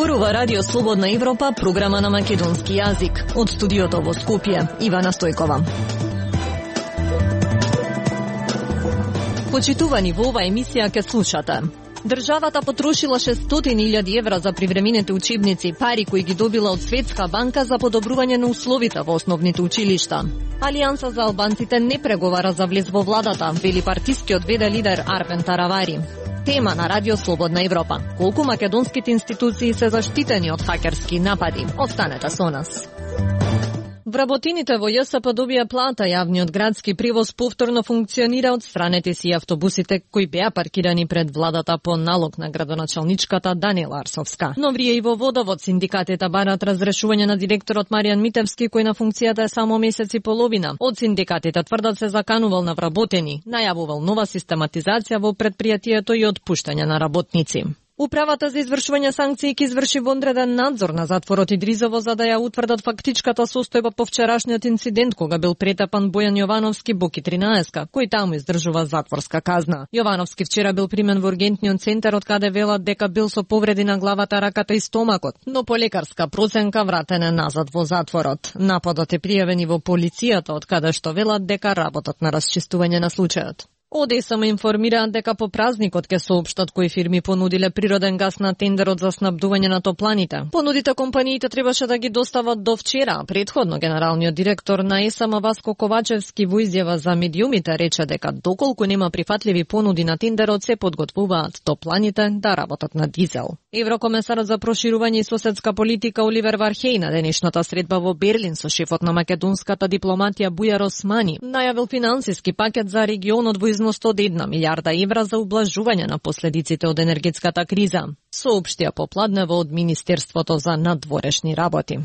Зборува Радио Слободна Европа, програма на македонски јазик. Од студиото во Скопје, Ивана Стојкова. Почитувани, во ова емисија ке слушате. Државата потрошила 600.000 евра за привремените учебници, пари кои ги добила од Светска банка за подобрување на условите во основните училишта. Алијанса за албанците не преговара за влез во владата, вели партискиот ВД лидер Армен Таравари. Тема на Радио Слободна Европа. Колку македонските институции се заштитени од хакерски напади? Останете со нас. Вработените во ЈСП добија плата, јавниот градски превоз повторно функционира од страните си автобусите кои беа паркирани пред владата по налог на градоначалничката Даниела Арсовска. Но врие и во водовод синдикатите барат разрешување на директорот Маријан Митевски кој на функцијата е само месец и половина. Од синдикатите тврдат се заканувал на вработени, најавувал нова систематизација во предпријатието и отпуштање на работници. Управата за извршување санкции ќе изврши вонреден надзор на затворот Идризово за да ја утврдат фактичката состојба по вчерашниот инцидент кога бил претепан Бојан Јовановски Боки 13, кој таму издржува затворска казна. Јовановски вчера бил примен во ургентниот центар од каде велат дека бил со повреди на главата, раката и стомакот, но по лекарска проценка вратен е назад во затворот. Нападот е пријавен и во полицијата од каде што велат дека работат на расчистување на случајот. ОДСМ информираат дека по празникот ќе соопштат кои фирми понудиле природен гас на тендерот за снабдување на топланите. Понудите компаниите требаше да ги достават до вчера. Предходно генералниот директор на ЕСМ Васко Ковачевски во изјава за медиумите рече дека доколку нема прифатливи понуди на тендерот се подготвуваат топланите да работат на дизел. Еврокомесарот за проширување и соседска политика Оливер Вархеј на денешната средба во Берлин со шефот на македонската дипломатија Бујар Османи најавил финансиски пакет за регионот во износ од 1 милиарда евра за ублажување на последиците од енергетската криза, соопштија попладнево од Министерството за надворешни работи.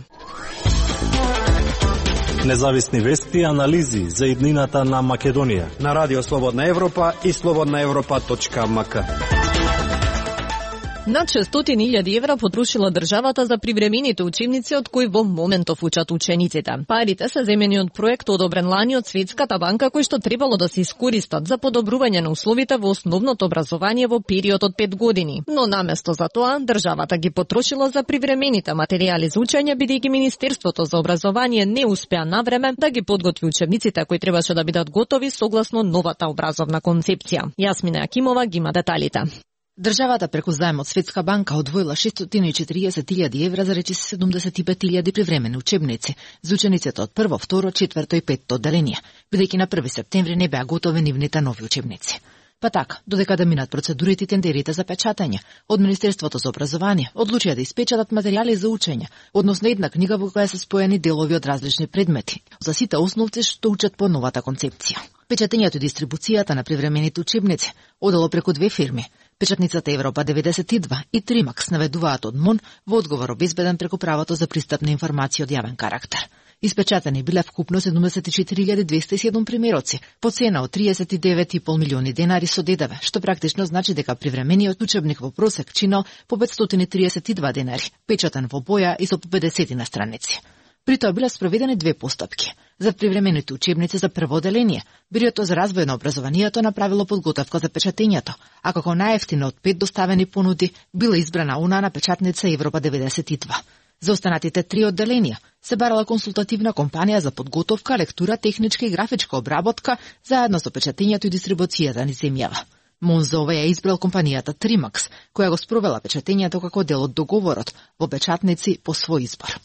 Независни вести и анализи за иднината на Македонија на Радио Слободна Европа и slobodnaevropa.mk. Над 600.000 евра потрошила државата за привремените учебници од кои во моментов учат учениците. Парите се земени од проект одобрен лани од Светската банка кој што требало да се искористат за подобрување на условите во основното образование во период од 5 години. Но наместо за тоа, државата ги потрошила за привремените материјали за учење, бидејќи Министерството за образование не успеа навреме да ги подготви учебниците кои требаше да бидат готови согласно новата образовна концепција. Јасмина Акимова ги има деталите. Државата преку заем од Светска банка одвоила 640.000 евра за речиси 75.000 привремени учебници за учениците од 1, 2, 4 и 5 одделенија, бидејќи на 1 септември не беа готови нивните нови учебници. Па така, додека да минат процедурите и тендерите за печатање, од Министерството за образование одлучија да испечатат материјали за учење, односно една книга во која се споени делови од различни предмети, за сите основци што учат по новата концепција. Печатењето и дистрибуцијата на привремените учебници одело преку две фирми. Печатницата Европа 92 и Тримакс наведуваат од МОН во одговор обезбеден преку правото за пристап на информација од јавен карактер. Испечатани биле вкупно 74.207 примероци, по цена од 39,5 милиони денари со ДДВ, што практично значи дека привремениот учебник во просек чинал по 532 денари, печатен во боја и со по 50 на страници. При тоа биле спроведени две постапки. За привремените учебници за прво одделение, Бирото за развој на образованието направило подготовка за печатењето, а како најевтина од 5 доставени понуди била избрана она на печатница Европа 92. За останатите 3 одделенија се барала консултативна компанија за подготовка, лектура, техничка и графичка обработка, заедно со печатењето и дистрибуцијата низ земјава. МОН за ова ја избрал компанијата Тримакс, која го спровела печатењето како дел од договорот во печатници по свој избор.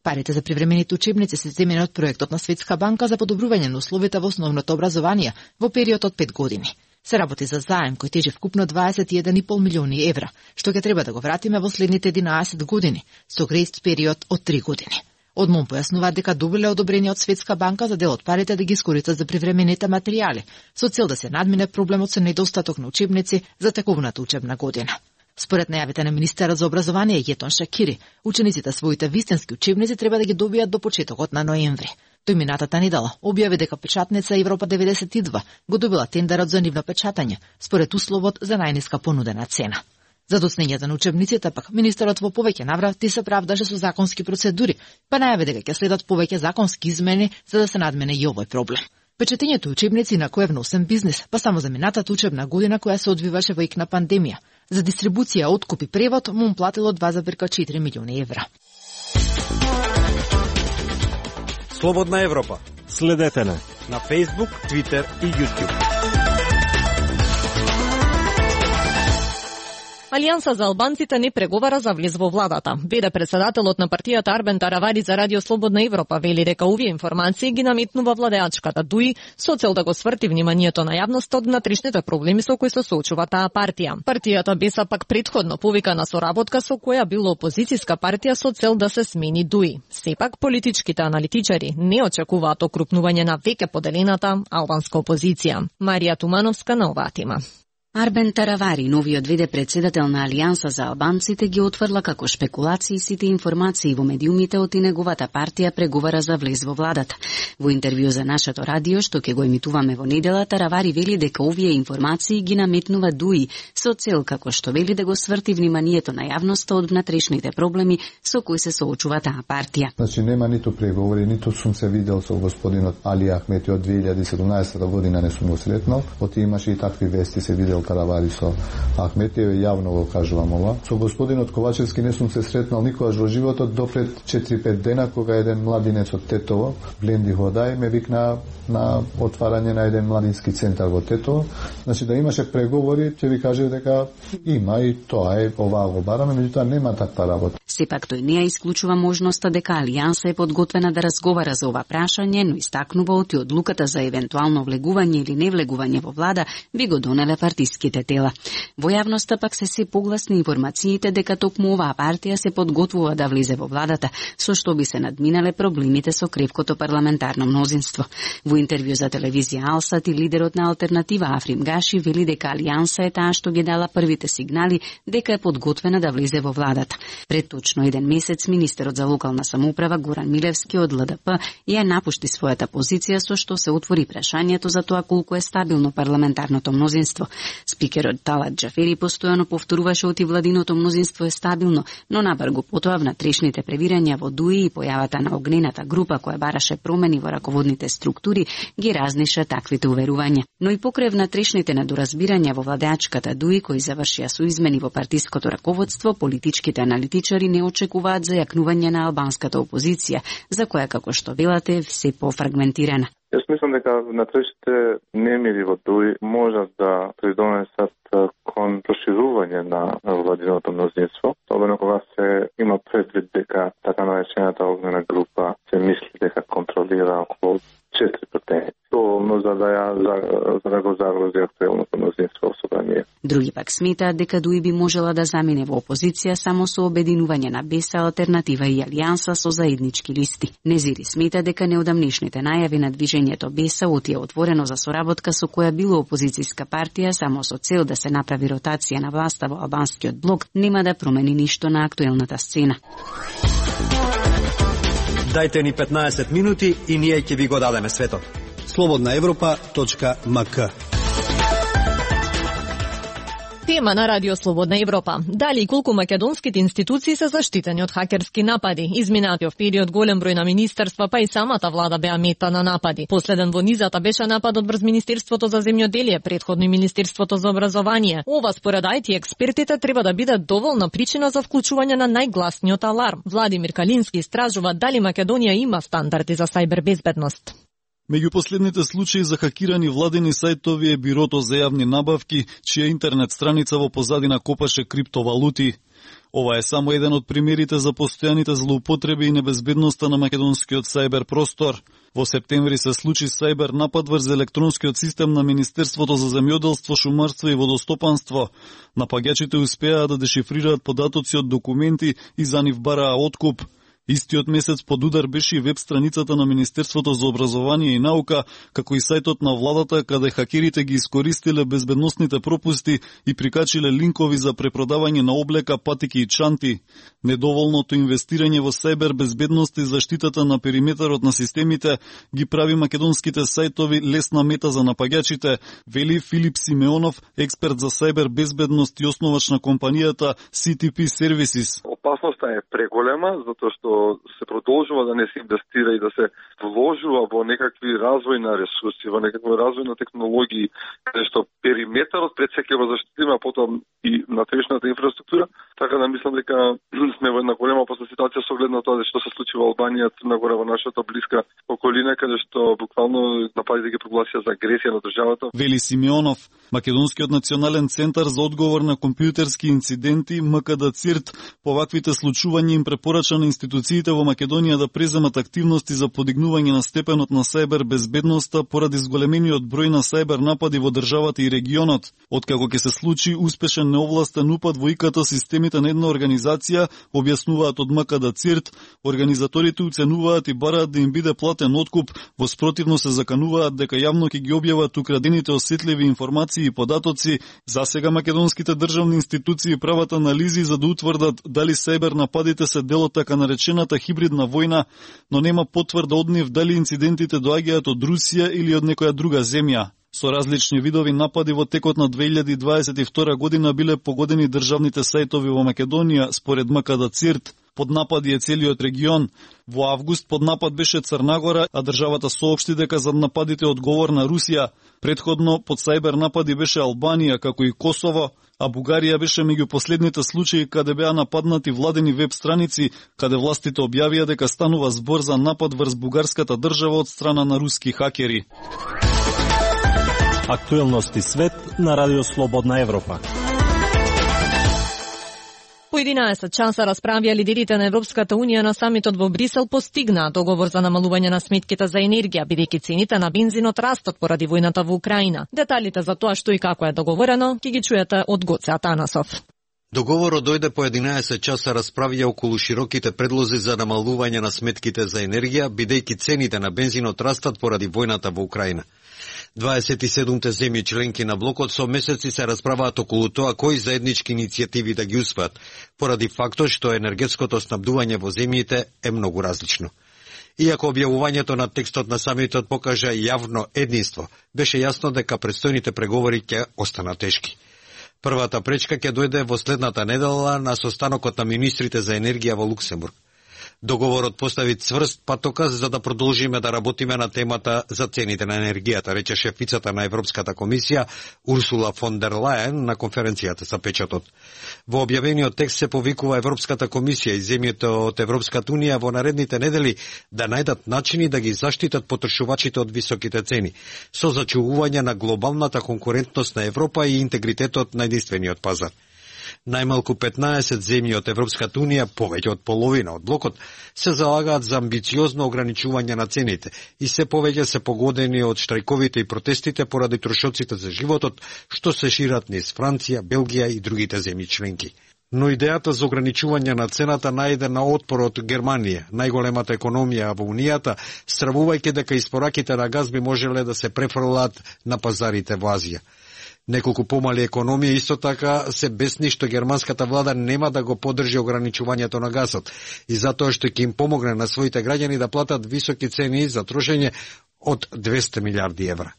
Парите за привремените учебници се земени од проектот на Светска банка за подобрување на условите во основното образование во период од 5 години. Се работи за заем кој тежи вкупно 21,5 милиони евра, што ќе треба да го вратиме во следните 11 години, со грејс период од 3 години. Од МОН појаснуваат дека добиле одобрение од Светска банка за дел од парите да ги искористат за привремените материјали, со цел да се надмине проблемот со недостаток на учебници за текувната учебна година. Според најавите на министерот за образование Јетон Шакири, учениците своите вистински учебници треба да ги добијат до почетокот на ноември. Тој минатата недела објави дека печатница Европа 92 го добила тендерот за нивно печатање, според условот за најниска понудена цена. За доцнењето на учебниците пак министерот во повеќе наврати се правдаше со законски процедури, па најави дека ќе следат повеќе законски измени за да се надмене и овој проблем. Печатењето учебници на кој е вносен бизнис, па само за минатата учебна година која се одвиваше во ик на пандемија. За дистрибуција, откуп и превод му платило 2,4 милиони евра. Слободна Европа. Следете не На Facebook, Twitter и YouTube. Алијанса за албанците не преговара за влез во владата. Веде председателот на партијата Арбен Таравари за Радио Слободна Европа, вели дека овие информации ги наметнува владеачката ДУИ со цел да го сврти вниманието на јавноста од внатрешните проблеми со кои се соочува таа партија. Партијата БЕСА пак претходно повика на соработка со која било опозицијска партија со цел да се смени ДУИ. Сепак политичките аналитичари не очекуваат окрупнување на веќе поделената албанска опозиција. Марија Тумановска на оваа тема. Арбен Таравари, новиот веде председател на Алијанса за албанците, ги отврла како шпекулации сите информации во медиумите од и неговата партија преговара за влез во владата. Во интервју за нашето радио, што ќе го емитуваме во недела, Таравари вели дека овие информации ги наметнува ДУИ со цел, како што вели, да го сврти вниманието на јавноста од внатрешните проблеми со кои се соочува таа партија. Значи нема ниту преговори, ниту сум се видел со господинот Али Ахмети од 2017 година, не сум го сретнал. Оти имаше и такви вести, се видел Таравари со Ахметиев, јавно го кажувам ова. Со господинот Ковачевски не сум се сретнал никогаш во животот до пред 4-5 дена, кога еден младинец од Тетово, Бленди Ходај, ме викна на отварање на еден младински центар во Тетово. Значи да имаше преговори, ќе ви кажев дека има и тоа е, оваа го бараме, меѓутоа нема таква работа. Сепак тој не ја исклучува можноста дека Алијанса е подготвена да разговара за ова прашање, но истакнува оти одлуката за евентуално влегување или невлегување во влада би го донеле партиските тела. Во јавноста пак се погласни информациите дека токму оваа партија се подготвува да влезе во владата, со што би се надминале проблемите со кревкото парламентарно мнозинство. Во интервју за телевизија Алсат и лидерот на алтернатива Африм Гаши вели дека Алијанса е таа што ги дала првите сигнали дека е подготвена да влезе во владата. Пред точно еден месец министерот за локална самоуправа Горан Милевски од ЛДП ја напушти својата позиција, со што се отвори прашањето за тоа колку е стабилно парламентарното мнозинство. Спикерот Талат Џафери постојано повторуваше оти владиното мнозинство е стабилно, но набргу потоа внатрешните превирања во ДУИ и појавата на огнената група која бараше промени во раководните структури ги разнеше таквите уверувања. Но и покрај внатрешните недоразбирања во владеачката ДУИ кои завршија со измени во партиското раководство, политичките аналитичари не очекуваат зајакнување на албанската опозиција, за која, како што велате, се пофрагментирана. Јас мислам дека внатрешните немири во ДУИ можат да придонесат кон проширување на владиното мнозинство, особено кога се има предвид дека така наречената огнена група се мисли дека контролира околу 4 претенции. Доволно за да го загрози актуелното мнозинство во собрание. Други пак сметаат дека ДУИ би можела да замине во опозиција само со обединување на БЕСА, алтернатива и Алијанса со заеднички листи. Незири смета дека неодамнешните најави на движењето БЕСА отие отворено за соработка со која било опозицијска партија само со цел да се направи ротација на власта во албанскиот блок, нема да промени ништо на актуелната сцена. Дајте ни 15 минути и ние ќе ви го дадеме светот. slobodnaevropa.mk. Тема на Радио Слободна Европа. Дали и колку македонските институции се заштитени од хакерски напади? Изминатиот период голем број на министерства, па и самата влада беа мета на напади. Последен во низата беше нападот врз Министерството за земјоделие, претходно и Министерството за образование. Ова според IT експертите треба да биде доволна причина за вклучување на најгласниот аларм. Владимир Калински истражува дали Македонија има стандарди за сајбер безбедност. Меѓу последните случаи за хакирани владени сајтови е Бирото за јавни набавки, чија интернет страница во позадина копаше криптовалути. Ова е само еден од примерите за постојаните злоупотреби и небезбедноста на македонскиот сајбер простор. Во септември се случи сајбер напад врз електронскиот систем на Министерството за земјоделство, шумарство и водостопанство. Напаѓачите успеаа да дешифрираат податоци од документи и за нив бараа откуп. Истиот месец под удар беше и веб страницата на Министерството за образование и наука, како и сајтот на владата, каде хакерите ги искористиле безбедносните пропусти и прикачиле линкови за препродавање на облека, патики и чанти. Недоволното инвестирање во сајбер безбедност и заштитата на периметарот на системите ги прави македонските сајтови лесна мета за напаѓачите, вели Филип Симеонов, експерт за сајбер безбедност и основач на компанијата CTP Services. опасноста е преголема, затоа што се продолжува да не се инвестира и да се вложува во некакви развој на ресурси, во некакви развој на технологии, каде што периметарот пред се ќе го заштитиме, а потом и натршната инфраструктура, така да мислам дека сме во една голема опасна ситуација со оглед на тоа што се случи во Албанија, Црна Гора, во нашата блиска околина, каде што буквално нападите ги прогласија за агресија на државата. Вели Симеонов, Македонскиот национален центар за одговор на компјутерски инциденти МКД ЦИРТ по ваквите случувања им препорача на институциите во Македонија да преземат активности за подигнување на степенот на сајбер безбедноста поради зголемениот број на сајбер напади во државата и регионот. Откако ќе се случи успешен неовластен упад во ИКТ системите на една организација, објаснуваат од МКД ЦИРТ, организаторите уценуваат и бараат да им биде платен откуп, во спротивно се закануваат дека јавно ќе ги објават украдените осетливи информации и податоци. Засега македонските државни институции прават анализи за да утврдат дали сајбер нападите се дел од така наречената хибридна војна, но нема потврда од нив дали инцидентите доаѓаат од Русија или од некоја друга земја. Со различни видови напади во текот на 2022 година биле погодени државните сајтови во Македонија, според МКД ЦИРТ. Под напади е целиот регион. Во август под напад беше Црна Гора, а државата соопшти дека за нападите одговорна Русија. Предходно под сајбер напади беше Албанија, како и Косово, а Бугарија беше меѓу последните случаи каде беа нападнати владени веб страници, каде властите објавија дека станува збор за напад врз бугарската држава од страна на руски хакери. Актуелности свет на Радио Слободна Европа. По 11 часа расправија лидерите на Европската Унија на самитот во Брисел постигнаа договор за намалување на сметките за енергија, бидејќи цените на бензинот растат поради војната во Украина. Деталите за тоа што и како е договорено ќе ги чуете од Гоце Атанасов. Договорот дојде по 11 часа расправија околу широките предлози за намалување на сметките за енергија, бидејќи цените на бензинот растат поради војната во Украина. 27 земји членки на блокот со месеци се расправаат околу тоа кои заеднички иницијативи да ги успеат, поради фактот што енергетското снабдување во земјите е многу различно. Иако објавувањето на текстот на самитот покажа јавно единство, беше јасно дека предстојните преговори ќе останат тешки. Првата пречка ќе дојде во следната недела на состанокот на министрите за енергија во Луксембург. Договорот постави цврст патоказ за да продолжиме да работиме на темата за цените на енергијата, рече шефицата на Европската комисија Урсула фон дер Лајен на конференцијата за печатот. Во објавениот текст се повикува Европската комисија и земјите од Европската унија во наредните недели да најдат начини да ги заштитат потрошувачите од високите цени, со зачувување на глобалната конкурентност на Европа и интегритетот на единствениот пазар. Најмалку 15 земји од Европската унија, повеќе од половина од блокот, се залагаат за амбициозно ограничување на цените и се повеќе се погодени од штрајковите и протестите поради трошоците за животот, што се шират низ Франција, Белгија и другите земји членки. Но идејата за ограничување на цената најде на отпор од Германија, најголемата економија во Унијата, стравувајќи дека испораките на газ би можеле да се префрлаат на пазарите во Азија. Неколку помали економии исто така се бесни што германската влада нема да го поддржи ограничувањето на газот и затоа што ќе им помогне на своите граѓани да платат високи цени за трошење од 200 милиарди евра.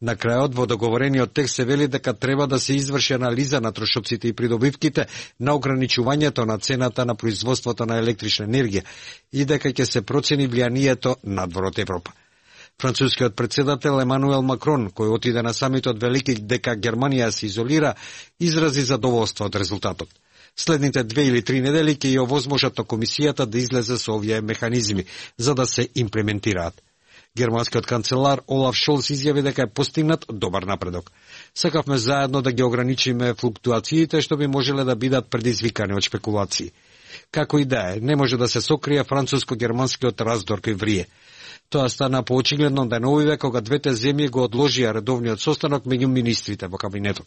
На крајот во договорениот текст се вели дека треба да се изврши анализа на трошоците и придобивките на ограничувањето на цената на производството на електрична енергија и дека ќе се процени влијанието надвор од Европа. Францускиот председател Емануел Макрон, кој отиде на самитот велики дека Германија се изолира, изрази задоволство од резултатот. Следните 2 или 3 недели ќе ја овозможат на комисијата да излезе со овие механизми, за да се имплементираат. Германскиот канцелар Олаф Шолц изјави дека е постигнат добар напредок. Сакавме заедно да ги ограничиме флуктуациите што би можеле да бидат предизвикани од шпекулации. Како и да е, не може да се сокрие француско-германскиот раздор кој врие. Тоа стана поочигледно деновиве кога двете земји го одложија редовниот состанок меѓу министрите во кабинетот.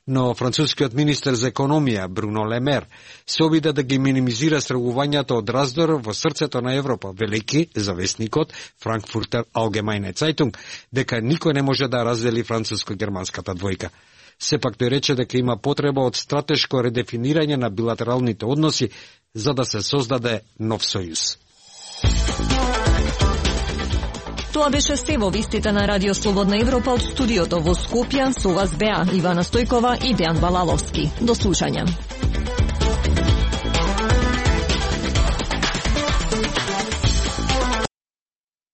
Но францускиот министер за економија Бруно Лемер се обиде да ги минимизира страгувањата од раздор во срцето на Европа, велики за весникот Frankfurter Allgemeine Zeitung, дека никој не може да раздели француско-германската двојка. Сепак тој рече дека има потреба од стратешко редефинирање на билатералните односи за да се создаде нов сојуз. Тоа беше се во вистите на Радио Слободна Европа од студиото во Скопје. Со вас беа Ивана Стојкова и Дејан Балаловски. До слушање.